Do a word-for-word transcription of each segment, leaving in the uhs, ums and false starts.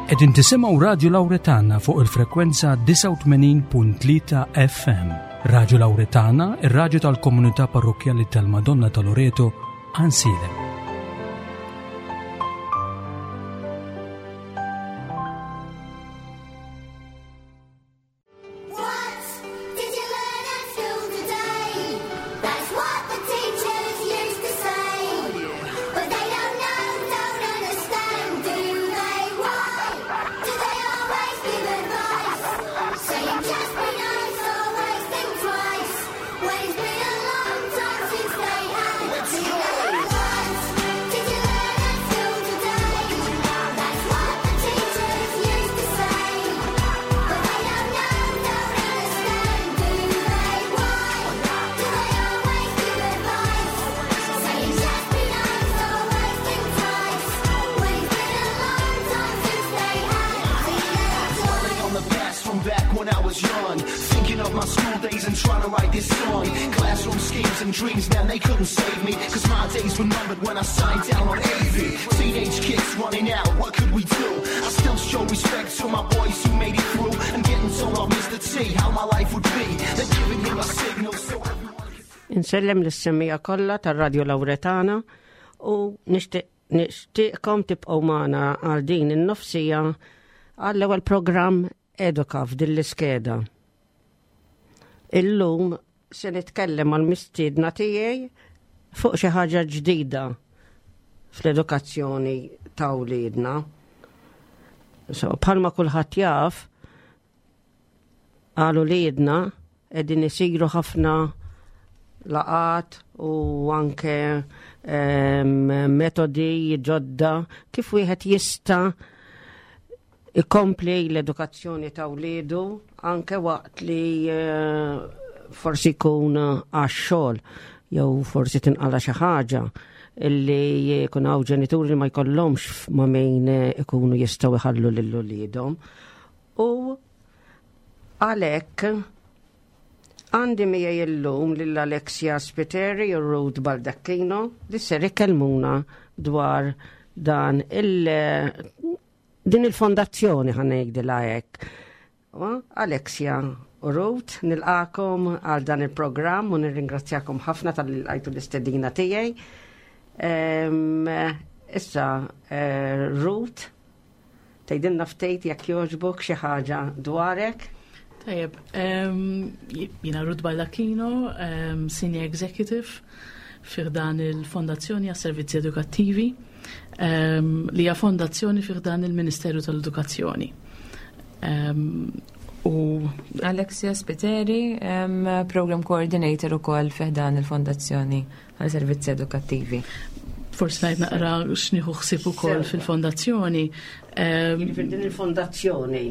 Qegħdin tisimgħu Radio Lauretana fuq il-frekwenza disgħa u tmenin punt tlieta F M. Radio Lauretana, ir-radju tal-komunità parrokjali tal-Madonna ta' Loreto, Għajnsielem. What did you learn at school today? That's what the teachers used to say. But they don't know, don't understand, do they? Why do they always give advice? Saying just be nice, always think twice. When it's been a long time since they had teenage. What did you learn at school today? That's what the teachers used to say. But they don't know, don't understand, do they? Why do they always give advice? Saying just be nice, always think twice. When it's been a long time since they had teenage Dwelling on the past from back when I was young. Thinking of my school days and trying to write this song. Classroom schemes and dreams, man, they couldn't save me. 'Cause my days were numbered when I signed down on A V. Teenage kids running out, what could we do? I still show respect to my boys who made it through. And getting told off Mister T how my life would be. They're giving him a signal so everyone can Insellem lis-semmiegħa kollha tar-Radio Lauretana u nixtieq nixtieqkom tibqgħu magħna għal din in-nofs siegħa għall-ewwel programm Eduka f'din l-iskeda. Illum se nitkellem mal-mistiedna tiegħi fuq xi ħaġa ġdida fl-edukazzjoni ta' wliedna. So, bħalma kulħadd jaf, għal uliedna qegħdin isiru ħafna laqgħat u anke em, metodi ġodda kif wieħed jista' ikompli l-edukazzjoni ta' wliedu anke waqt li eh, forsi jkun għax-xogħol jew forsi tinqala xi ħaġa illi jkun hawn ġenituri li ma jkollhomx ma' min ikunu jistgħu jħallu lil uliedhom. U għalhekk għandi miegħi illum lil Alexia Spiteri u Ruth Baldacchino li ser ikellmuna dwar dan il din il-fondazzjoni, ħa ngħidilha hekk. U, Alexia u Ruth, nilqagħkom għal dan il-programm u nirringrazzjakom ħafna talli lqajtu l-istedina tiegħi. Em, Issa, eh, Ruth, tgħidilna ftit jekk jogħġbok xi ħaġa dwarek. Tajjeb, um, jiena Ruth Baldacchino, um, Senior Executive fi ħdan il-Fondazzjoni għas Servizzi Edukattivi, um, li hija fondazzjoni fi ħdan il-Ministeru tal-Edukazzjoni. Um, u Alexia Spiteri, um, Program Coordinator ukoll fi ħdan il-Fondazzjoni għal Servizzi Edukattivi. Forsi ngħid naqra x'nieħu ħsieb ukoll Sewa. fil-fondazzjoni. Um, Jiġifieri din il-fondazzjoni,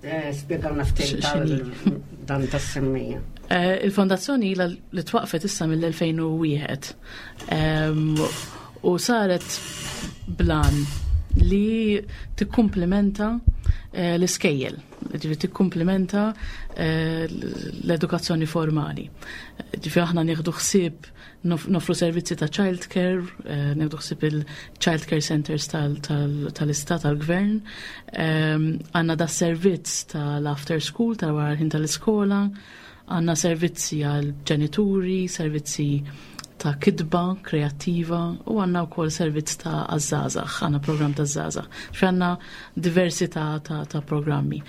eh, spjegawna ftit X'inhi? tal- dan tas-semmija. Eh, Il-fondazzjoni ilha li twaqfet issa mill-elfejn u wieħed Em, u saret bl-għan li tikkumplementa eh, l-iskejjel, ġifieri tikkumplementa eh, l-edukazzjoni formali. Ġifieri aħna nieħdu ħsieb nof- nofru servizzi ta' child care, eh, nieħdu ħsieb il-child care centers tal- tal- tal-istat tal-gvern, Em, għandna da servizz tal-after school, tal-wara l-ħin tal-iskola, għandna servizzi għal ġenituri, servizzi ta' kitba kreattiva u għandna wkoll servizz ta' għaż-żgħażagħ, għandna program ta' żgħażagħ. Ġifieri għandna diversità ta', ta' programmi.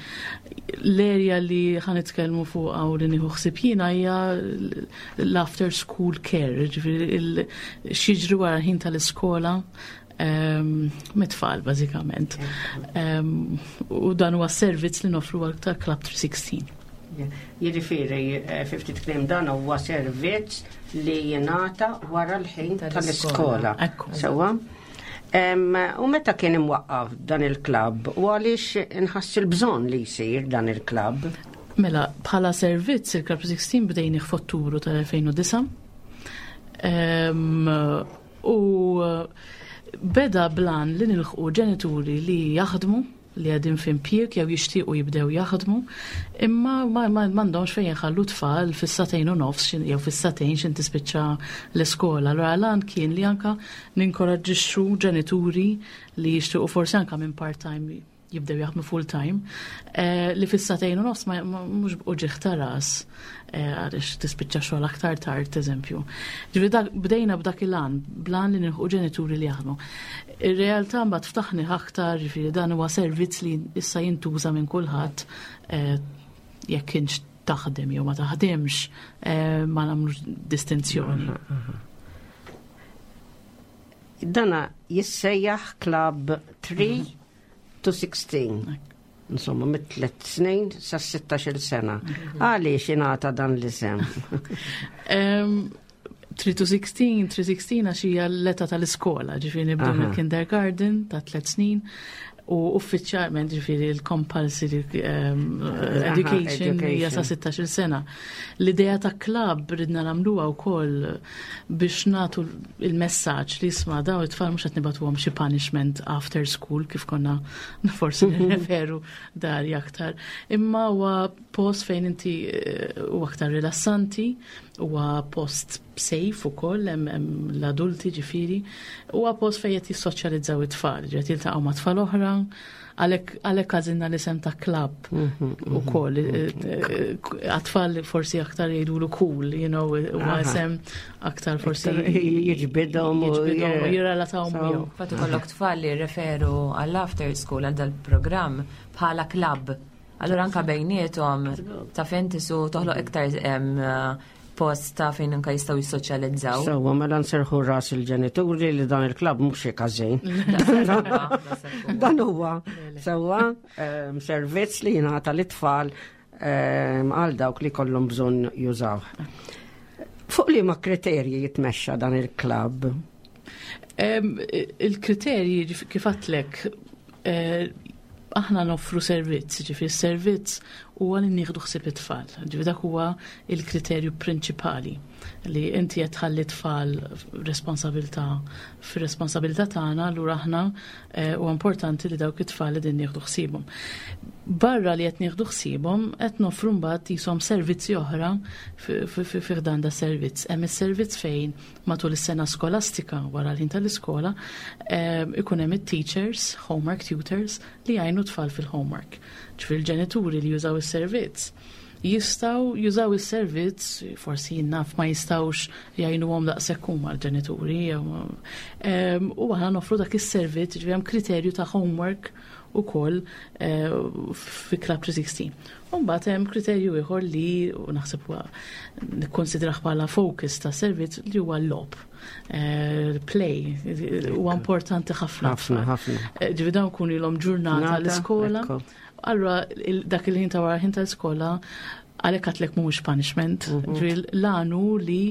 L-area li ħa nitkellmu fuq u li nieħu ħsieb jiena hija l-after school care, ġifieri il- x'jiġri wara l-ħin tal-iskola um, mit-tfal bażikament. Um, u dan huwa servizz li nofru għal ta' Club tlieta u sittin. Jiġifieri, eh, fi ftit kliem dan huwa servizz li jingħata wara l-ħin tal-iskola. tal-iskola. Ekku. Sewwa? Em, U meta kien imwaqqaf dan il-klabb u għaliex inħass il-bżonn li jsir dan il-klabb? Mela, bħala servizz il-Club sittax bdejni f'Ottubru tal-elfejn u disgħa. Em, u beda bl-għan li nilħqu ġenituri li jaħdmu, li qegħdin f'impjieg jew jixtiequ jibdew jaħdmu, imma ma ma- m'għandhomx fejn jħallu tfal fis-sagħtejn u nofs xin- jew fis-sagħtejn xin tispiċċa l-iskola. Allura l-għan kien li anka ninkoraġġixxu ġenituri li jixtiequ forsi anka minn part-time Jibdew jaħdmu full time, eh, li fis-sagħtejn u nofs ma mhux uġigħ ta' ras eh, għaliex tispiċċa xogħol aktar tard, eżempju. Ġifieri dak bdejna b'dak il-għan, bl-għan li nilħu ġenituri li jaħdmu. Ir-realtà mbagħad ftaħni aktar, ġifieri dan huwa servizz li issa jintuża minn kulħadd, eh, jekk kienx taħdem jew ma taħdemx, ma nagħmlux distinzjoni. Dana jissejjaħ Club three to sixteen. Insomma, mit tliet snin sa sittax-il sena. Għaliex ingħata dan l-isem? three to sixteen, three sixteen għax hija l-età tal-iskola, ġifieri nibdew mill-kindergarten ta' tliet snin u uffiċjalment, ġifieri, l-compulsory um, education hija sa sittax-il sena. L-idea ta' club ridna nagħmluha wkoll biex nagħtu il-messaġġ li isma', daw it-tfal mhux qed nibagħtuhom xi punishment after school kif konna forsi nirreferu dari aktar. Imma huwa post fejn inti eh, huwa aktar rilassanti, huwa post safe ukoll, hemm l-adulti ġifieri, huwa post fejn qed jissoċjalizzaw it-tfal, ġifieri jiltaqgħu ma' tfal oħra, għalhekk għażilna l-isem ta' club ukoll. Għat-tfal forsi aktar jgħidulu cool, you know, huwa isem aktar forsi jiġbidhom u jirrelataw miegħu. Fatu kollok tfal li referu għall-after school, għal dal-programm bħala club. Allura anka bejniethom ta' fentisu toħloq iktar post ta' fejn anka jistgħu jissoċjalizzaw. Sewwa, mela nserħu ras il-ġenituri li dan il-club mhux xi każin. Dan huwa sewwa servizz li jingħata lit-tfal għal dawk li kollhom bżonn jużaw. Fuq liema kriterji jitmexxa dan il-club? Il-kriterji, kif għedtlek, eh, aħna noffru servizz, ġifieri servizz huwa li nieħdu ħsieb it-tfal. Ġifieri dak huwa il-kriterju prinċipali li inti qed tħalli tfal responsabilità fir-responsabilità tagħna, allura aħna eh, huwa importanti li dawk it-tfal li din nieħdu ħsiebhom. Barra li qed nieħdu ħsiebhom, qed noffru mbagħad jisom servizzi oħra fi dan da servizz. Hemm is-servizz fejn matul is-sena skolastika wara l-ħin tal-iskola eh, ikun hemm it-teachers, homework tutors li jgħinu tfal fil-homework. Ġifieri l-ġenituri li jużaw is-servizz jistgħu jużaw is-servizz, forsi naf ma jistgħux jgħinuhom daqshekk huma l-ġenituri. U aħna noffru dak is-servizz, ġifieri hemm kriterju ta' homework ukoll eh, fi Club three sixty. Mbagħad hemm kriterju ieħor li naħseb huwa nikkonsidrah bħala focus ta' servizz, li huwa l-logħob. Eh, play huwa importanti ħafna. Ħafna, ħafna. Eh, ġifieri dawn kun ilhom ġurnata l-iskola. Allura dak il-ħin ta' wara ħin tal-iskola, għalhekk għedtlek mhux punishment. Mhm. Ġifieri l-għan hu li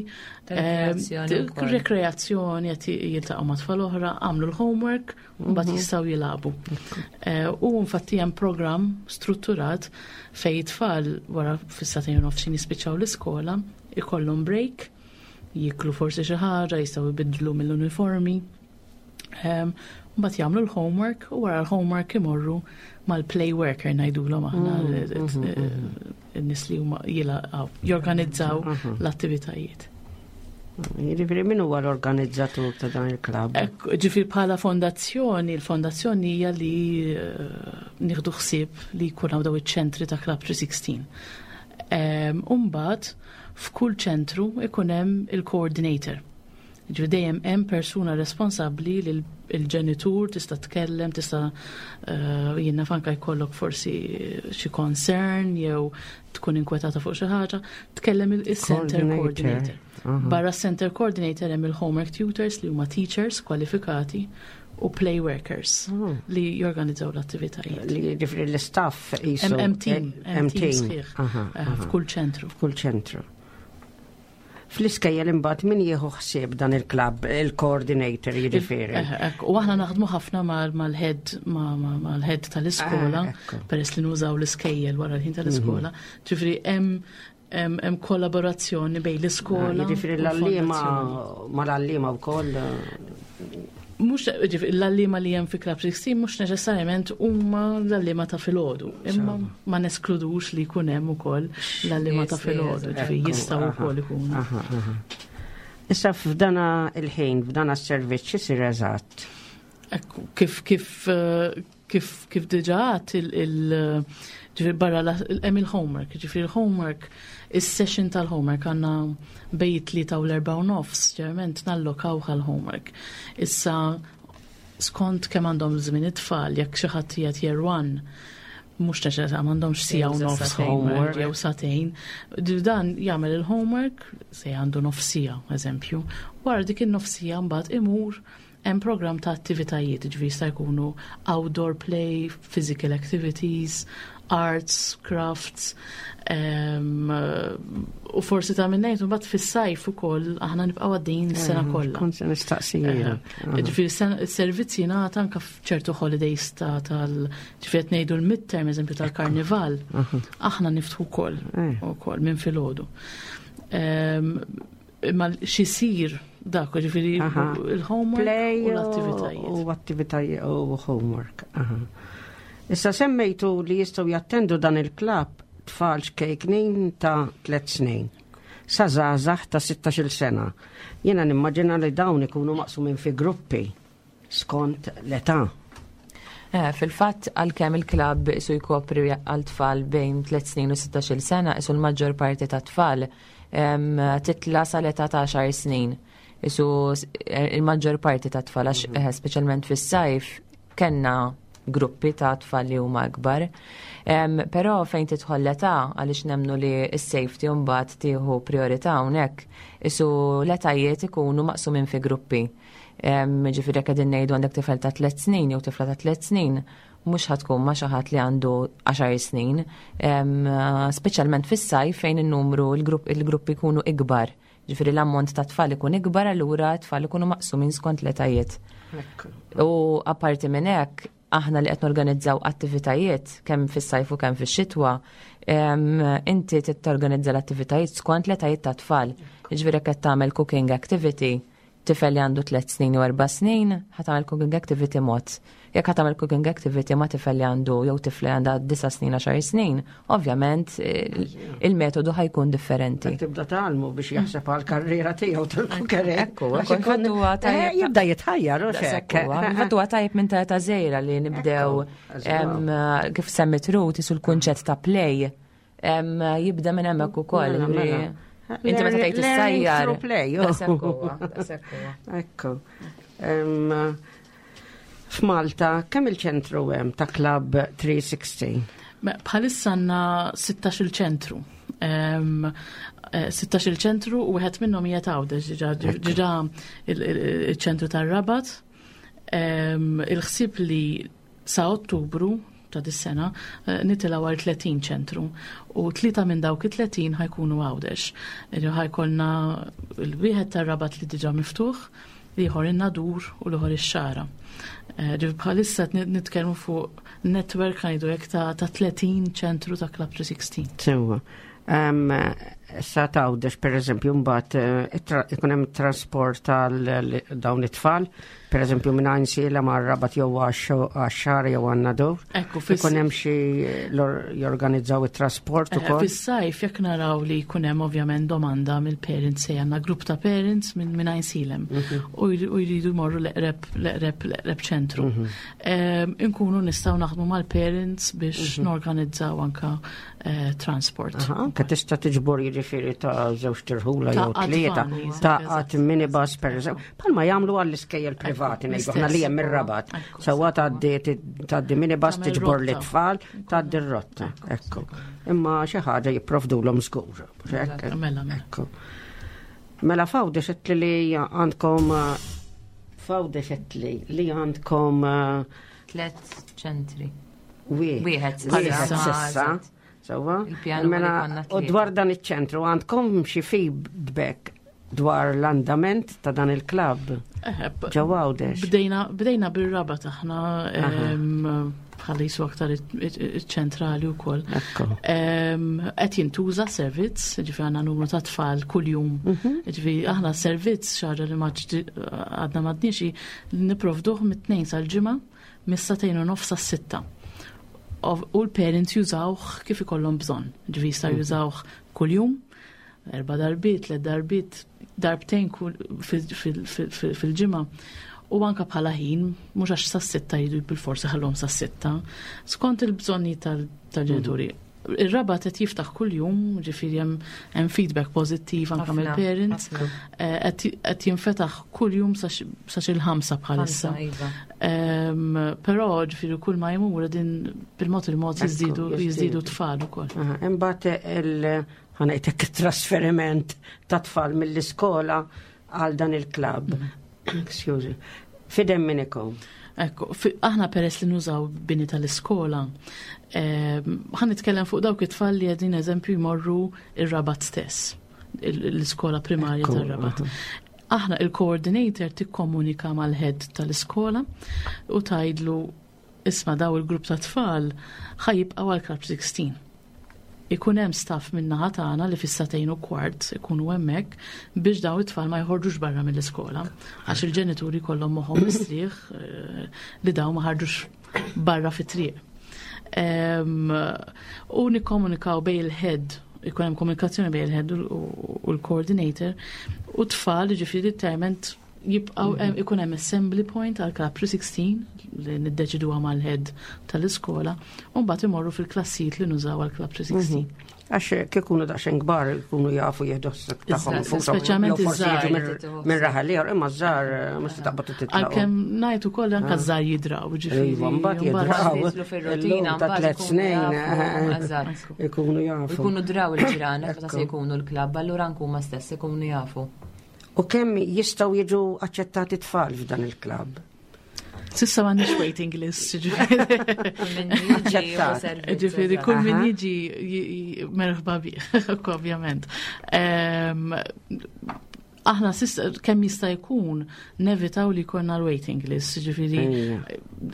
rekreazzjoni, qed jiltaqgħu ma' tfal oħra, għamlu l-homework, mbagħad mhm. jistgħu jilagħbu. Eh, u infatti hemm programm strutturat fejn tfal wara fis-sagħtejn nofsin jispiċċaw l-iskola, ikollhom break, jiklu forsi xi ħaġa, jistgħu jbiddlu mill-uniformi. Mbagħad jagħmlu l-homework u wara l-homework imorru mal-play worker ngħidulhom aħna, mm, mm, mm, in-nies li huma jorganizzaw l-attivitajiet. Jiġifieri min huwa l-organizzatur ta' dan il-club? Ġifieri bħala fondazzjoni, il-fondazzjoni hija li eh, nieħdu ħsieb li jkun hawn daw iċ-ċentri ta' Club three sixteen. Umbagħad f'kull ċentru ikun hemm il-coordinator. Ġifieri dejjem hemm persuna responsabbli li l-ġenitur tista' tkellem, tista' eh, jiena fanka jkollok forsi xi concern jew tkun inkwetata fuq xi ħaġa, tkellem il-center coordinator. Barra center coordinator hemm il-homework tutors li huma teachers kwalifikati u play workers oh. li jorganizzaw l-attivitajiet. Li ġifieri l-staff jisu. Hemm team, hemm team sħiħ eh, f'kull ċentru. F'kull ċentru. Fl-iskejjel imbagħad min jieħu ħsieb dan il-club, il-coordinator jiġifieri? Eh, u aħna naħdmu ħafna mal-head mal-head tal-iskola, ah, peress li nużaw l-iskejjel wara l-ħin tal-iskola. Mhm. Ġifieri hemm hemm kollaborazzjoni bejn l-iskola. Ah, jiġifieri l-għalliema mal-għalliema wkoll. Mhux l-għalliema li hemm fi Club sixteen mhux neċessarjament huma l-għalliema ta' filgħodu, imma ma neskludux li jkun hemm ukoll l-għalliema ta' filgħodu, ġifieri jistgħu wkoll ikunu. Issa f'dana il-ħin, f'dana s-servizz x'isir eżatt? Kif kif eh, Kif kif diġà għedt il- il- ġifieri barra la- hemm il-homework, ġifieri il-homework, is-session tal-homework għandna bejn tlieta u l-erbgħa u nofs, ġeneralment nallokaw għal-homework. Issa skont kemm għandhom żmien it-tfal, jekk xi ħadd qiegħed year one, mhux neċessarjament m'għandhomx siegħa u Jew nofs sagħtejn. homework jew sagħtejn. Dan jagħmel il-homework se għandu nofs siegħa, eżempju. Wara dik in-nofs siegħa mbagħad imur hemm program ta' attivitajiet, ġifieri jista' jkunu outdoor play, physical activities, arts, crafts, um, u forsi ta' minnejt, mbagħad fis-sajf ukoll aħna nibqgħu għaddejjin is-sena kollha. Kont se nistaqsija. Ġifieri s-servizzi jingħata anke f'ċertu holidays ta' tal ġifieri qed ngħidu l-midterm eżempju tal-karnival, aħna niftħu wkoll Eh. ukoll minn filgħodu. Ehm, Imma xisir dak, ġifieri Aha. il-homework Play u l-attivitajiet. U attivitajiet u homework. Aha. Issa semmejtu li jistgħu jattendu dan il-klabb tfal ċkejknin ta' tliet snin. Sa żgħażagħ ta' sittax-il sena. Jiena nimmaġina li dawn ikunu maqsumin fi gruppi skont l-età. Eh, Fil-fatt, għalkemm il-klabb isu jkopri għal tfal bejn tliet snin u sittax-il sena, isu l-maġġor parti ta' tfal em, titla sal-età ta' għaxar snin. Isu s- eh, il-maġġor parti ta' tfal, għax eh, speċjalment fis-sajf, kellna gruppi ta' tfal li huma akbar. Em, Però fejn tidħol l-età, għaliex nemnu li s-safety mbagħad tieħu priorità hawnhekk, isu l-etajiet ikunu maqsumin fi gruppi. Em, Ġifieri jekk qegħdin ngħidu għandek tifel ta' tliet snin jew tifla ta' tliet snin, mhux ħa tkun ma' xi ħadd li għandu għaxar snin, Em, speċjalment fis-sajf fejn in-numru il-grupp il-gruppi jkunu ikbar. Ġifieri l-ammont ta' tfal ikun ikbar, allura tfal ikunu maqsumin skont l-etajiet. U apparti minn hekk, aħna li qed norganizzaw attivitajiet kemm fis-sajf u kemm fix-xitwa, em, inti trid torganizza l-attivitajiet skont l-etajiet ta' tfal. Ġifieri jekk qed tagħmel cooking activity, tifel li għandu tliet snin u erba' snin, ħa tagħmel cooking activity mod. Jekk ħa tagħmel cooking activity ma' tifel li għandu jew tifla li għandha disa' snin, għaxar snin, ovvjament eh, il-metodu ħa jkun differenti. Tibda tgħallmu biex jaħseb għal karriera tiegħu tal-cookery. Ekku, ekku, infatti huwa tajjeb- Jibda jitħajjar u xek. Infatti huwa tajjeb minn ta' ta' żgħira li nibdew Ekku, em, kif semmit Ruth isu l-kunċett ta' play em, jibda minn hemmhekk ukoll. Mela, Ġifieri, mela. Inti meta tgħid Learning issajjar. through play, oh. Daqshekk huwa, daqshekk huwa. Ekku. Em, F'Malta, kemm il-ċentru hemm ta' Club tliet mija u sittin? Me- Bħalissa għandna sittax il-ċentru. Em, eh, sittax il-ċentru u wieħed minnhom qiegħed Għawdex, diġà diġà il- il- il-ċentru tar-Rabat. Em, Il-ħsieb li sa Ottubru ta' dis-sena eh, nitilgħu għal tletin ċentru u tlieta minn dawk it-tletin ħa jkunu Għawdex. Ħa jkollna l-wieħed tar-Rabat li diġà miftuħ, l-ieħor in-Nadur u l-ieħor ix-Xagħra. Eh, Ġifieri bħalissa qed nitkellmu fuq network ngħidu hekk ta' ta' tletin ċentru ta' Club tliet mija u sittax. Sewwa. Em, Sa t'Għawdex, per eżempju, mbagħad eh, it-tra- ikun hemm trasport tal dawn it-tfal, per eżempju minn Għajnsielem mar-Rabat jew għax-Xagħra jew għan-Nadur. Ekku, fis- Ikun hemm xi lor- jorganizzaw it-trasport Eh, ukoll. Fis-sajf jekk naraw li jkun hemm ovvjament domanda mill-parents, se għandna grupp ta' parents minn minn Għajnsielem u jri- u jridu jmorru l-eqreb l-eqreb l-eqreb ċentru. Em, Inkunu nistgħu naħdmu mal-parents biex norganizzaw anka eh, transport. Aha, anke tista' tiġbor jiġifieri ta' żewġ tirħula jew Ta' tlieta, van, eżatt, ta' eżatt. għat minibus per eżempju. Palma jagħmlu għall-iskejjel privati ngħidu aħna li hemm ir-Rabat. Ekku. Sewwa tgħaddi tgħaddi minibus Tagħmel tiġbor rotta. l-itfal, tgħaddi r-rotta. Ekku. Imma xi ħaġa jipprovdulhom żgur. Hekk. Mela, mela. Ekku. Mela f'Għawdex għedtli li għandkom eh, f'Għawdex għedtli li għandkom eh, Tliet ċentri. wieħed. Wieħed s'issa. Wieħed s'issa. Eżatt. Sewwa? Il-pjan huwa li Mela, konna u tlieta. dwar dan iċ-ċentru għandkom xi feedback dwar l-andament ta' dan il-klabb Eh, b- ġewwa Għawdex? Bdejna bdejna bir-Rabat aħna em, bħala jisu aktar iċ-ċentrali wkoll. Ekku. Em, Qed jintuża servizz, ġifieri għandna numru ta' tfal kuljum. Ġifieri aħna servizz xi ħaġa li ma ġdi- għadna m'għadniex nipprovduh mit-tnejn sal-ġimgħa mis-sagħtejn u nofs sas-sitta. Ov- U l-parents jużawh kif ikollhom bżonn. Ġifieri jistgħu jużawh kuljum, erba' darbiet, tliet darbiet, darbtejn kull- fil- fil- fil- fil-ġimgħa. U anka bħala ħin, mhux għax sas-sitta jridu bil-forsi ħallhom sas-sitta, skont il-bżonni tal-ġenituri. Ir-Rabat qed jiftaħ kuljum, ġifieri hemm hemm feedback pożittiv anke Ħafna, mill-parents. ħafna. Eh, Qed qed jinfetaħ kuljum sa xi l-ħamsa bħalissa. Ħamsa, iva. Em, Però ġifieri kull ma jmur din bil-mod il-mod Ekku, jiżdiedu jiżdiedu. jiżdiedu tfal ukoll. Aha, Imbagħad il ħa ngħidlek trasferiment ta' tfal mill-iskola għal dan il-klabb. Excuse. F'idejn min ikun. Ekku, fi- aħna peress li nużaw bini tal-iskola, em, ħa nitkellem fuq dawk it-tfal li qegħdin eżempju jmorru ir-Rabat stess, il- l-iskola primarja Ekku, tar-Rabat. aha. Aħna il-coordinator tikkomunika mal-head tal-iskola u tgħidlu, "Isma', daw il-grupp ta' tfal ħa jibqgħu għal Club sittax. Ikun hemm staff min-naħa tagħna li fis-sagħtejn u kwart ikunu hemmhekk biex daw it-tfal ma jħorġux barra mill-iskola għax il-ġenituri kollhom moħħhom mistrieħ eh, li daw ma ħarġux barra fit-triq. Em, U nikkomunikaw bejn il-head, ikun hemm komunikazzjoni bejn il-head u u l-coordinator u tfal, ġifieri determent jibqaw hemm- ikun hemm assembly point għal Club sittax li niddeċiduha mal-head tal-iskola u mbagħad imorru fil-klassijiet li nużaw għal Club sittax. Għax kif ikunu daqsxejn kbar ikunu jafu jieħdu ħsieb tagħhom Iżda, infushom, speċjalment jew forsi iż-żgħar. jiġu minn- minn raħal ieħor, imma ż-żgħar eh, mhux taqbad titlaqgħu. Għalkemm ngħid ukoll anke żgħar jidraw, ġifieri. Iva, mbagħad mbagħad- jidraw. Jidħlu fir-rutina, Illum ta' mbagħad tliet ikunu snin jafu, eh, eżatt. ikunu U jafu. jkunu draw il-ġirani, meta se Ekku. jkunu l-klabb, allura anke huma stess ikunu jafu. U kemm jistgħu jiġu aċċettati tfal f'dan il-klabb? S'issa m'għandniex waiting list, ġifieri. Kull min jiġi huwa Aċċettat. servizz, Ġifieri, eżatt. kull min Aha. jiġi j- j- merħba bih, ovvjament. Em, Aħna s'issa kemm jista' jkun nevitaw li jkollna l-waiting list, ġifieri Ejja.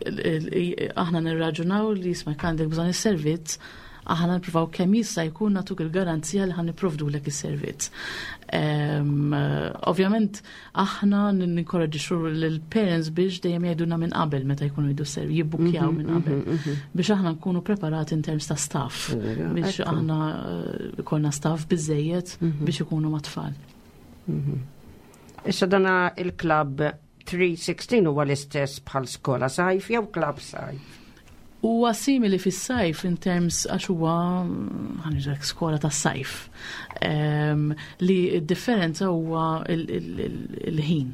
il- il- aħna nirraġunaw li isma' għandek bżonn is-servizz, aħna nippruvaw kemm jista' jkun nagħtuk il-garanzija li ħa nipprovdulek is-servizz. Em, Ovvjament aħna ninkoraġġixxu lill-parents biex dejjem jgħidulna minn qabel meta jkunu jridu servizz, jibbukkjaw minn qabel biex aħna nkunu preparati in terms ta' staff, Vera, biex ekku. aħna eh, ikollna staff biżejjed biex ikunu mat-tfal. Issa dana il-klabb tlieta u sittax huwa l-istess bħal skola sajf jew klabb sajf? Huwa simili fis-sajf in terms għax huwa ħa ngħidlek skola tas sajf. Em, li d-differenza huwa il- il- il- il-ħin.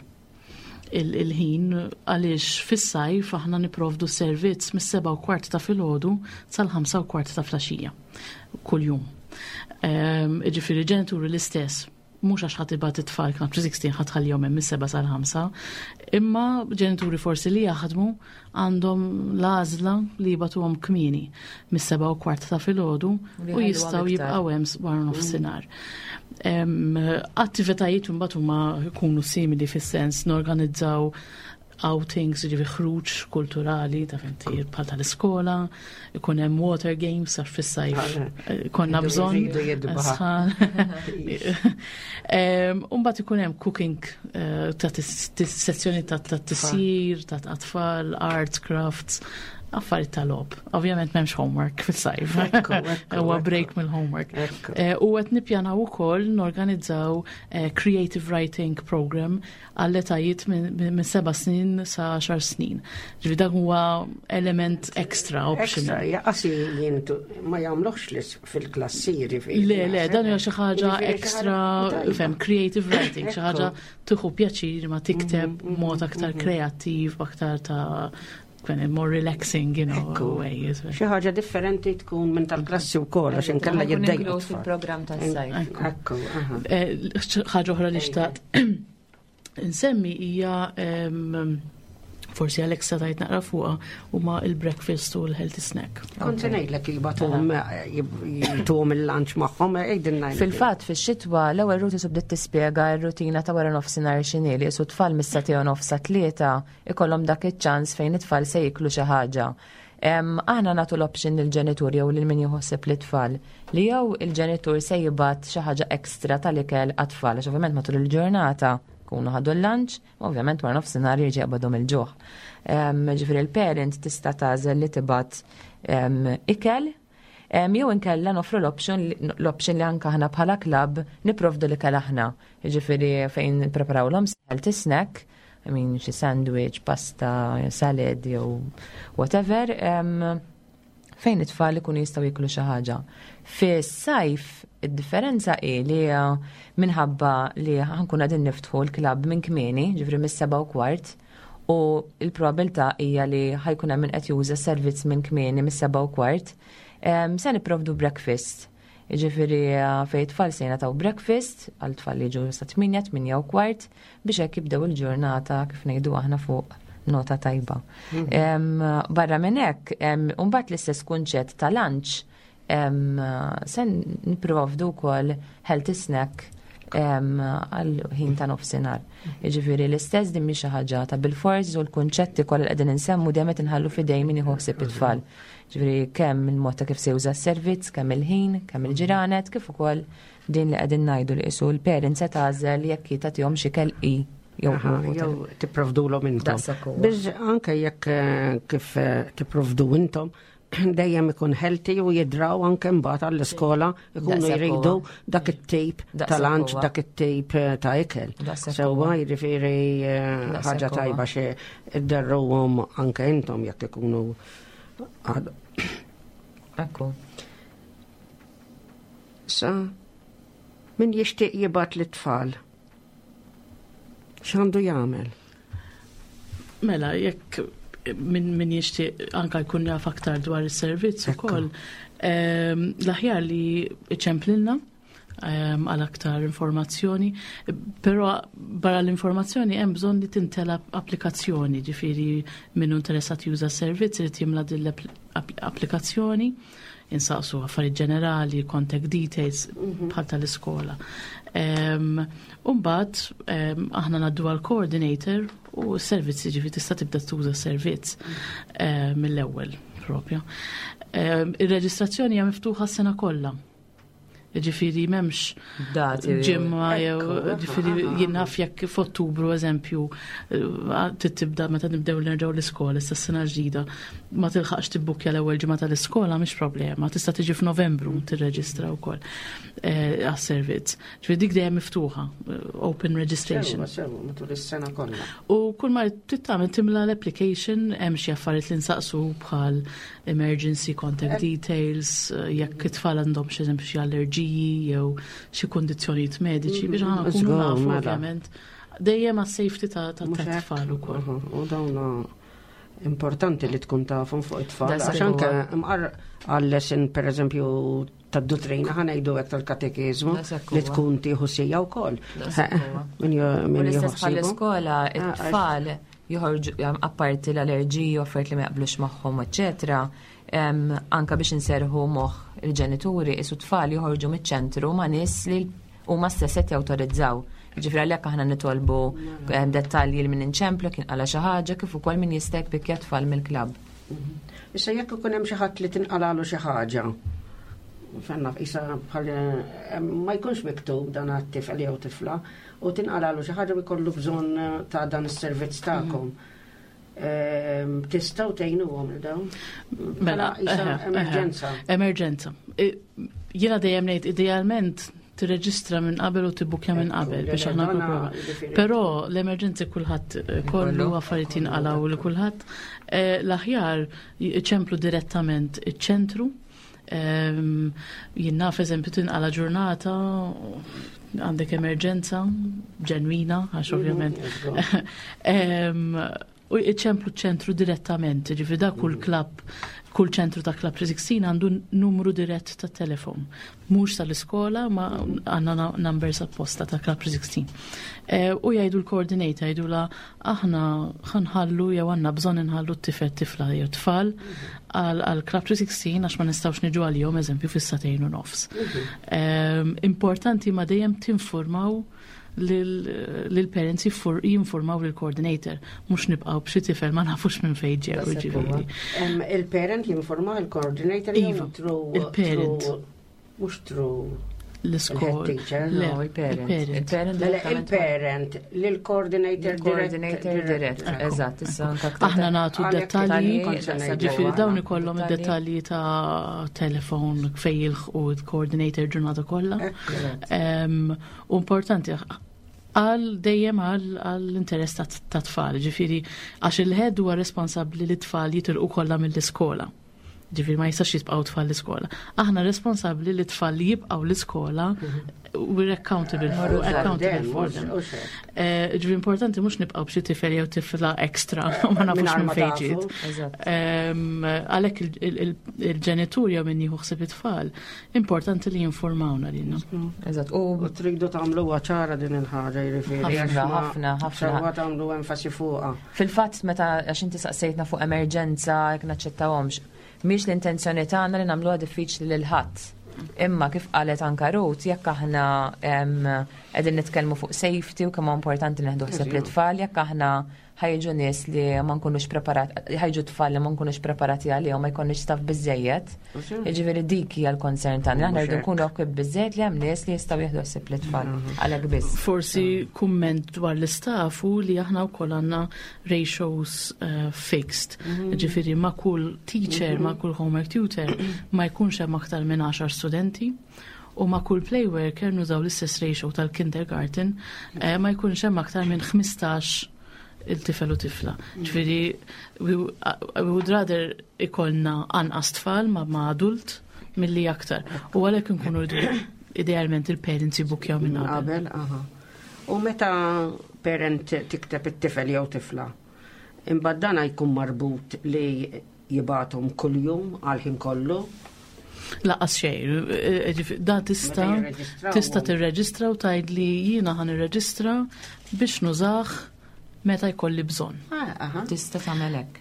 Il- Il-ħin għaliex fis-sajf aħna niprovdu servizz mis-seba u kwart ta' filgħodu sal-ħamsa u kwart ta' filgħaxija kuljum. Em, Ġifieri ġenituri l-istess, mhux għax ħa tibgħat it-tfal Club sittax ħa tħallihom hemm mis-seba sal-ħamsa, imma ġenituri forsi li jaħdmu għandhom l-għażla li jibagħtuhom kmieni mis-seba u kwart ta' filgħodu U li u jħalluhom jistgħu iktar. jibqgħu hemm wara nofsinhar. Em, Attivitajiet imbagħad huma jkunu simili fis-sens norganizzaw outings, ġifieri ħruġ kulturali ta' fenti bħal tal-iskola, ikun hemm water games għax fis-sajf eh, konna Jridu- bżonn. jridu jidbaħ. Sħan. Em, Umbagħad ikun hemm cooking eh, ta' tis- tis- sezzjoni ta' ta' tisjir, ta' tfal, arts, crafts, affarijiet ta' logħob. Ovvjament m'hemmx homework fis-sajf. Ekku, ekku, Huwa ekku. break mill-homework. Ekku. Eh, U qed nippjanaw ukoll norganizzaw eh, creative writing program għall-etajiet minn minn seba' snin sa għaxar snin. Ġifieri dak huwa element extra Extra, optional. jaqasi jintu ma jagħmluhx lis fil-klassi ġifieri. Le, le, dan huwa xi ħaġa Ġifieri xi extra, ħaġa fem, creative writing, xi ħaġa Ekku. tieħu pjaċir ma tikteb mod aktar kreattiv, aktar ta' kwen more relaxing, you know, Ekku. way. Xi ħaġa differenti tkun minn tal-klassi wkoll għax inkella Ħa jkun jiddejqu inkluż t-tfal. fil-programm tas-sajf. Ekku, aha. Eh, ħaġa oħra li xtaqt insemmi hija em, forsi Alexa tajt naqra fuqha huma il-breakfast u l-healthy snack. Kont se ngħidlek jibagħtuhom jituhom il-lunch magħhom, għidilna. Fil-fatt, fix-xitwa l-ewwel Ruth bdiet tispjega r-rutina ta' wara nofsinhar x'inhi, li qisu tfal mis-sagħtejn u nofs sa tlieta ikollhom dak iċ-ċans fejn it-tfal se jiklu xi ħaġa. Em, Aħna nagħtu l-option lill-ġenitur jew lil min jħossib l-tfal li jew il-ġenitur se jibgħat xi ħaġa ekstra tal-ikel għat-tfal, għax ovvjament matul il-ġurnata kunu ħadu l-lunch, u ovvjament wara nofsinhar jerġa' jaqbadhom il-ġuħ. Em, Ġifieri il-parent tista' tagħżel li tibgħat em, ikel Em, Jew inkella nofru l-option l-option li anka aħna bħala klabb niprovdu l-ikel aħna. Ġifieri fejn preparaw l-om healthy snack, I mean, xi sandwich, pasta, salad jew whatever, em, fejn it-tfal ikunu jistgħu jiklu xi ħaġa. Fis-sajf id-differenza hi li eh, minħabba li ħa nkunu qegħdin niftħu l-klabb minn kmieni, ġifieri mis-seba' u kwart, u l-probabilità hija li ħa jkun hemm min qed juża servizz minn kmieni mis-seba' u kwart, em, se nipprovdu breakfast. Ġifieri eh, fejn tfal se jingħataw breakfast għal tfal li jiġu sa tmienja, tmienja u kwart, biex hekk jibdew il-ġurnata, kif ngħidu aħna, fuq nota tajba. Em, Barra minn hekk, em, mbagħad l-istess kunċett ta' lunch, em, se nipprovdu wkoll healthy snack em, għal ħin ta' nofsinhar. Jiġifieri l-istess, din mhix xi ħaġa ta' bil-fors u l-kunċetti kollha li qegħdin insemmu dejjem qed inħallu f'idejn min jieħu ħsieb it-tfal. Ġifieri kemm il-mod ta' kif se juża s-servizz, kemm il-ħin, kemm il-ġranet, kif ukoll din li qegħdin ngħidu li qisu l-parents se tagħżel jekk tagħtihom xi ikel i jew Aha, jew tipprovdulhom intom. Daqshekk huwa. Biż anke jekk eh, kif eh, tipprovdu intom, dejjem ikun healthy u jidraw anke mbagħad għall-iskola ikunu Daqshekk jridu huwa. dak it-tip Daqshekk ta' lunch, huwa. dak it-tip eh, ta' ikel. Daqshekk Sewwa, huwa. jiġifieri eh, Daqshekk ħaġa huwa. tajba xi idderruhom anke intom jekk ikunu għad- Ekku. Sa min jixtieq jibgħat lit-tfal, x'għandu jagħmel? Mela, jekk min, min jixtieq anka jkun jaf aktar dwar is-servizz Ekku. ukoll, ehm, l-aħjar li iċemplilna ehm, għal aktar informazzjoni, però barra l-informazzjoni hemm bżonn li timtela applikazzjoni, ġifieri min hu interessat juża s-servizz irid jimla din l-applikazzjoni, insaqsu affarijiet ġenerali, contact details bħal tal-iskola. Um, Umbagħad um, aħna ngħaddu għal coordinator u s-servizz, ġifieri tista' tibda tuża s-servizz eh, mill-ewwel propja. Um, Ir-reġistrazzjoni hija miftuħa s-sena kollha. Ġifieri m'hemmx Dati. ġimma jew Ekku, ġifieri aha, aha. jien naf jekk f'Ottubru, eżempju, eh, tibda meta nibdew nerġgħu l-iskola issa s-sena ġdida, ma tilħaqx tibbukja l-ewwel ġimgħa tal-iskola, mhix problema, tista' tiġi f'Novembru tirreġistra wkoll eh, għas-servizz. Ġifieri dik dejjem miftuħa, eh, open registration. Sewwa, sewwa, matul is-sena kollha. U kull ma trid tagħmel timla l-application, hemm xi affarijiet li nsaqsu bħal emergency contact details, eh, jekk it-tfal għandhom xi eżempju xi allerġiji jew xi kundizzjonijiet mediċi biex aħna nkunu Żgur, nafu mela. ovvjament. Dejjem għas-safety ta' ta' Mhux ta' hekk? tfal ukoll. Aha, u dawn importanti li tkun tafhom fuq it-tfal. Daqshekk Għax anke huwa. imqar għal-lesson, per eżempju, tad-duttrina, ħa ngħidu hekk, tal-katekiżmu, Daqshekk li huwa. tkun tieħu sija wkoll. Daqshekk huwa. Min jo- U min jieħu l-istess ħsiebu. bħal-iskola, Ah, it-tfal joħorġu jam, apparti l-allerġiji u affarijiet li ma jaqblux magħhom, eċetera. em, Anka biex inserħu moħħ il-ġenituri, isu tfal joħorġu miċ-ċentru ma' nies li huma stess qed jawtorizzaw. Ġifieri għalhekk aħna nitolbu em, dettalji li min inċemplu kien qala xi ħaġa, kif ukoll min jista' jpikkja tfal mill-klabb. Issa jekk ikun hemm xi ħadd li tinqalalu xi ħaġa, fenna isa bħal eh, ma jkunx miktub dan għat-tifel jew tifla u tinqalalu xi ħaġa u jkollu bżonn eh, ta' dan is-servizz tagħkom. Ehm, Tistgħu tgħinuhom il dawn? Mela, Bħala isa eħe, eħe. emerġenza. Emerġenza. I- Jiena dejjem ngħid idealment tirreġistra minn qabel u tibbukja minn Ekku, qabel biex le, aħna dana nipprova. jiġifieri- Però l-emerġenzi kulħadd eh, kollu Kollu. affarijiet jinqalgħu li kulħadd. Eh, L-aħjar ċemplu direttament iċ-ċentru. Ehm, Jien naf, eżempju, tinqala ġurnata, għandek emerġenza ġenwina, għax ovvjament Mhm, Em, U iċemplu ċentru direttament, ġifieri da kull klabb, kull ċentru ta' Club tlieta u sittax għandu numru dirett ta' telefon. Mhux tal-iskola, ma għandna na- numbers apposta ta' Club tlieta u sittax. Eh, U jgħidu l-coordinator, jgħidu la aħna ħa nħallu jew għandna bżonn inħallu t-tifel, tifla jew tfal għal għal Club tlieta u sittax għax ma nistgħux niġu għalihom, eżempju, fis-sagħtejn u nofs. Em, Importanti ma dejjem tinformaw lil-parents, jinformaw lil-coordinator, mhux nibqgħu b'xi tifel ma nafux minn fejn ġew, Daqshekk ġifieri. Em, Il-parent jinforma il-coordinator jew Iva, through il-parent. through- Mhux through L-iskol. il-head teacher? Le, No, il-parent. il-parent. Il-parent Mela direttament il-parent lill-coordinator Il-coordinator dirett, eżatt, issa anka aktar Aħna nagħtu Għalhekk dettalji, kont ġifieri ngħidu dawn aħna. ikollhom id-dettalji ta' telefon fejn jilħqu il-coordinator ġurnata kollha. Ekku. Em, U importanti, Għal dejjem għal għall-interess ta' ta' tfal, ġifieri għax il-head huwa responsabbli li tfal jitilqu kollha mill-iskola. Ġifieri ma jistax jibqgħu tfal l-iskola. Aħna responsabbli li tfal li jibqgħu l-iskola, we're accountable for, accountable for them. Eh, Ġifieri importanti mhux nibqgħu b'xi tifel jew tifla extra u ma nafux Mingħajr minn ma fejn tafu. ġiet. Eżatt. Em, Għalhekk il- il- il- il-ġenitur jew min jieħu ħsieb it-tfal, importanti li jinformawna lilna. Eżatt. U U tridu tagħmlu ċara din il-ħaġa, jiġifieri. Ħafna, għax ma- ħafna, ħafna. Sewwa tagħmlu enfasi fuqha. Fil-fatt, meta għax inti saqsejtna fuq emerġenza jekk naċċettawhomx, mhix l-intenzjoni tagħna li nagħmluha diffiċli lil ħadd. Imma kif qalet anka Ruth, jekk aħna em, qegħdin nitkellmu fuq safety u kemm huwa importanti neħdu ħsieb l-tfal, jekk aħna ħa jiġu nies li ma nkunux preparat, ħa jiġu tfal li ma nkunux preparati għalihom, ma jkollniex staff biżejjed. Jiġifieri dik hija l-concern tagħna. Aħna rridu nkunu equipped biżejjed li hemm nies li jistgħu jieħdu ħsieb l-tfal. Għalhekk biss. Forsi kumment dwar l-istaff u li aħna wkoll għandna ratios uh, fixed. Ġifieri ma' kull teacher, ma' kull homework tutor ma jkunx hemm aktar minn għaxar studenti u ma' kull play worker nużaw l-istess ratio tal-kindergarten, eh, ma jkunx hemm aktar minn ħmistax il-tifel u tifla. Ġifieri we, we would rather ikollna anqas tfal ma' ma' adult milli aktar. U għalhekk nkunu rridu idealment il-parents jibukjaw minn qabel. Qabel, aha. U meta parent tikteb it-tifel jew tifla, imbagħad dana jkun marbut li jibgħathom kuljum għal ħin kollu? Lanqas xejn, ġifi- da tista Meta jirreġistraw tista hum. tirreġistra u tgħid li jiena ħa nirreġistra biex nużah meta jkolli bżonn. Ah, aha. Tista' tagħmel hekk.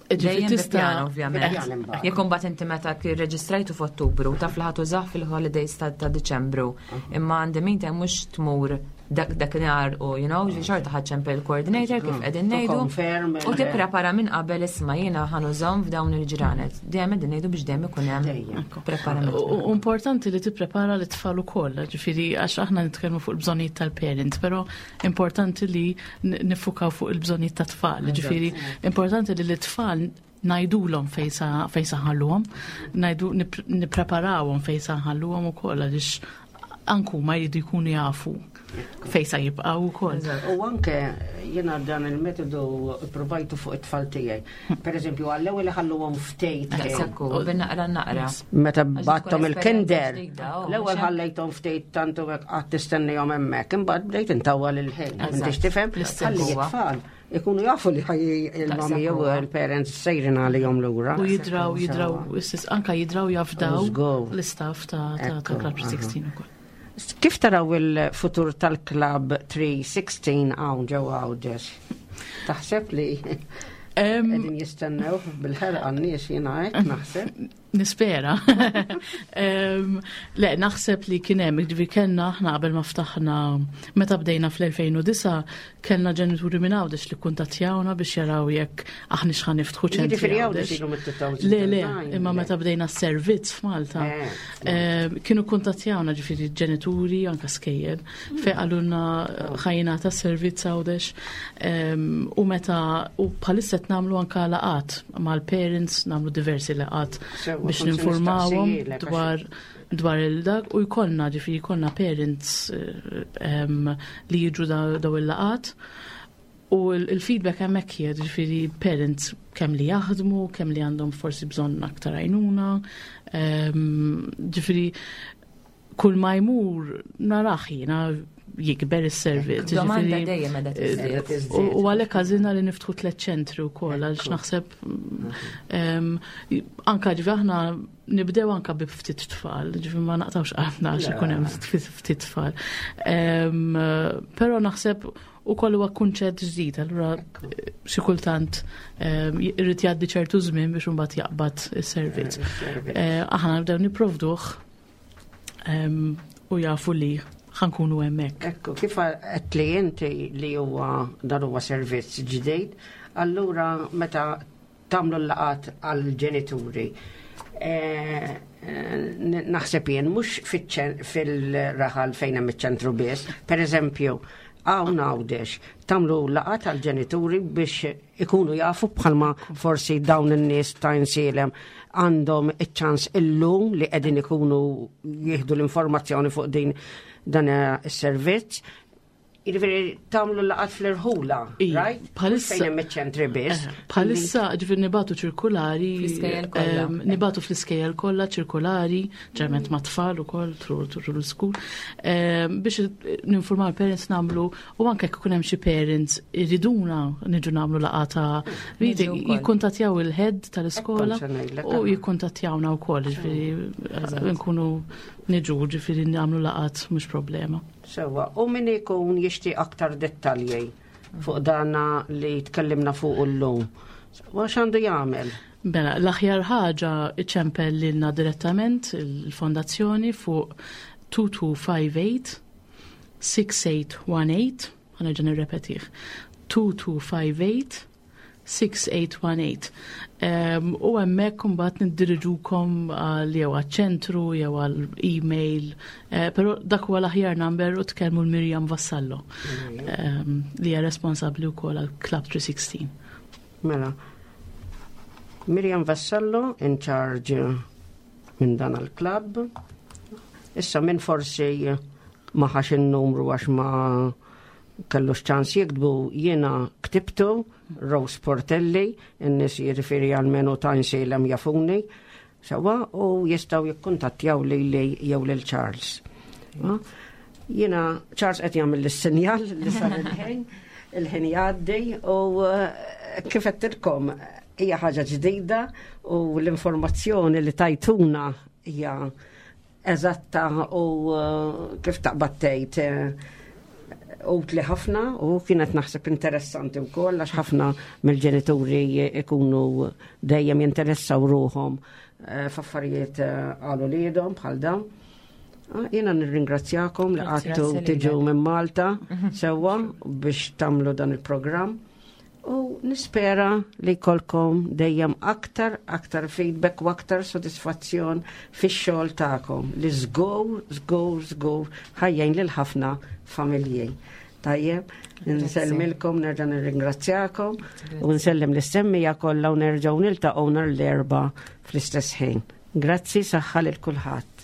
Ġifi Dejjem bi tista' pjan, ovvjament. Bi pjan imbagħad. Jekk imbagħad inti meta rreġistrajtu f'Ottubru taf li ħa tużah fil-holidays ta' ta' Diċembru. Imma għandi meantime mhux tmur dak dakinhar u you know, xorta ħa ċċempel il-coordinator kif qegħdin To ngħidu. confirm U il- tipprepara minn qabel, isma' jiena ħa nużahom f'dawn il-ġranet. Dejjem qegħdin ngħidu biex dejjem ikun hemm Dejjem. preparament. U u importanti li tipprepara l-tfal ukoll, ġifieri għax aħna nitkellmu fuq il-bżonnijiet tal-parents, però importanti li n- niffukaw fuq il-bżonnijiet tat-tfal. Ġifieri importanti li l-tfal ngħidulhom fejn sa fejn sa nħalluhom, ngħidu nip- nippreparawhom fejn sa nħalluhom ukoll għaliex anku ma jridu jkunu jafu fejn sa jibqgħu ukoll. U anke jiena dan il-metodu provajtu fuq it-tfal tiegħi. Per eżempju, għall-ewwel ħalluhom ftit. Daqshekk hu, bin-naqra naqra. Meta Għax tkun bgħatthom il-kinder, esperjenza ġdida, oh, l-ewwel mhux ħallejthom ftit tantu hekk qatt tistennihom hemmhekk, imbagħad bdejt intawwal il-ħin. Eżatt. Intix tifhem? L-istess Ħalli huwa. it-tfal ikunu jafu li ħaj il-mami jew huwa. il-parents sejrin għalihom lura. U jidraw, jidraw, istess, anka jidraw jafdaw Żgur. l-istaff ta' ta' ta' Ekku, Club aha. tlieta u sittax ukoll. Kif taraw il-futur tal-Club tlieta u sittax hawn ġewwa Għawdex? Taħseb li Em, qegħdin jistennew bil-ħerqa n-nies? Jiena hekk naħseb. Nispera. Em, Le, naħseb li kien hemm, ġifieri kellna aħna qabel ma ftaħna, meta bdejna fl-elfejn u disgħa, kellna ġenituri minn Għawdex li kuntattjawna biex jaraw jekk aħna x'ħa niftħu ċentri. Jiġifieri Għawdex Għawdex. ilu mit-elfejn u disgħa. Le, le, imma meta bdejna s-servizz f'Malta, Eh, em, kienu kuntattjawna ġifieri ġenituri, anka skejjel, fejn qalulna ħa jingħata servizz Għawdex. Em, U meta, u bħalissa qed nagħmlu anka laqgħat mal-parents, nagħmlu diversi laqgħat Sewwa, biex kont se ninformawhom nistaqsijilek, għax- dwar dwar il-dak u jkollna ġifieri jkollna parents eh, em, li jiġu da- daw il-laqgħat u il- il-feedback hemmhekk hija ġifieri parents kemm li jaħdmu, kemm li għandhom forsi bżonn aktar għajnuna, em, ġifieri kull ma jmur narah jiena jikber is-servizz. Domanda ġifieri- dejjem qiegħda tiżdied. Tiżdied. U u għalhekk għażilna li niftħu tliet ċentri wkoll għaliex naħseb em, anka ġifi aħna nibdew anka bi ftit tfal, ġifi ma naqtawx qalbna għax ikun hemm ftit ftit tfal. Em, Però naħseb ukoll huwa kunċett ġdid, allura xi kultant em, irid jgħaddi ċertu żmien biex imbagħad jaqbad is-servizz. Eh, Aħna nibdew nipprovduh em, u jafu li ħa nkunu hemmhekk. Ekku, kif qed li inti li huwa dan huwa servizz ġdid, allura meta tagħmlu l-laqgħat għal-ġenituri, eh, eh, naħseb jien mhux fiċ- fil-raħal fejn hemm iċ-ċentru biss, per eżempju, hawn Għawdex, tagħmlu laqgħat għal-ġenituri biex ikunu jafu bħalma forsi dawn in-nies ta' Għajnsielem għandhom iċ-ċans illum li qegħdin ikunu jieħdu l-informazzjoni fuq din dan is-servizz. Jiġifieri tagħmlu laqgħat fl-irħula, Ija, right? bħalissa- Fejn hemm iċ-ċentri biss. Eh, Bħalissa ġifieri nibagħtu ċirkulari, Fl-iskejjel kollha. em, nibagħtu fl-iskejjel kollha ċirkulari, ġeneralment ma' tfal ukoll through through l-school, em, biex ninformaw il-parents nagħmlu u anke jekk ikun hemm xi parents iriduna niġu nagħmlu laqgħa ta' meeting, Niġu wkoll. jikkuntattjaw il-head tal-iskola Kont se ngħidlek, u aha. jikkuntattjawna wkoll, ġifieri nkunu niġu ġifieri nagħmlu laqgħat mhux problema. Sewwa, u min ikun jixtieq aktar dettalji fuq dana li tkellimna fuq illum. Sewwa, x'għandu jagħmel? Mela, l-aħjar ħaġa iċempel lilna direttament il-fondazzjoni fuq two two five eight six eight one eight, ħa nerġa' nirrepetih, two two five eight six eight one eight. Um, u hemmhekk imbagħad niddiriġukom għal jew għaċ-ċentru jew għal email, uh, però dak huwa l-aħjar number u tkellmu l-Mirjam Vassallo um, li hija responsabbli wkoll għal Club three sixteen. Mela, Miriam Vassallo in charge minn dan il-club. Issa min forsi ma ħax il-numru għax ma kellux ċans jiktbu, jiena ktibtu, Rose Portelli, in-nies jiġifieri għalmenu ta' Għajnsielem jafuni, sewwa, u jistgħu jikkuntattjaw li li jew lil Charles. Ah, jiena Charles qed jagħmel is-sinjal li sar il-ħin, il-ħin jgħaddi u eh, kif għedtilkom hija ħaġa ġdida u l-informazzjoni li tajtuna hija eżatta u eh, kif taqbad tgħid eh, utli ħafna u kienet naħseb interessanti wkoll għax ħafna mill-ġenituri ikunu dejjem jinteressaw ruħhom eh, f'affarijiet eh, għal uliedhom bħal dawn. Ah, jiena nirringrazzjakom li Grazzi. għattu Grazzi tiġu lilek. minn Malta sewwa biex tagħmlu dan il-programm. U nispera li jkollkom dejjem aktar, aktar feedback u aktar sodisfazzjon fix-xogħol tagħkom li żgur, żgur, żgur ħa jgħin lil ħafna familji. Tajjeb, nsellmilkom, nerġa' nirringrazzjakom u nsellem lis-semmiegħa kollha u nerġgħu niltaqgħu nhar l-Erbgħa fl-istess ħin. Grazzi, saħħa lil kulħadd.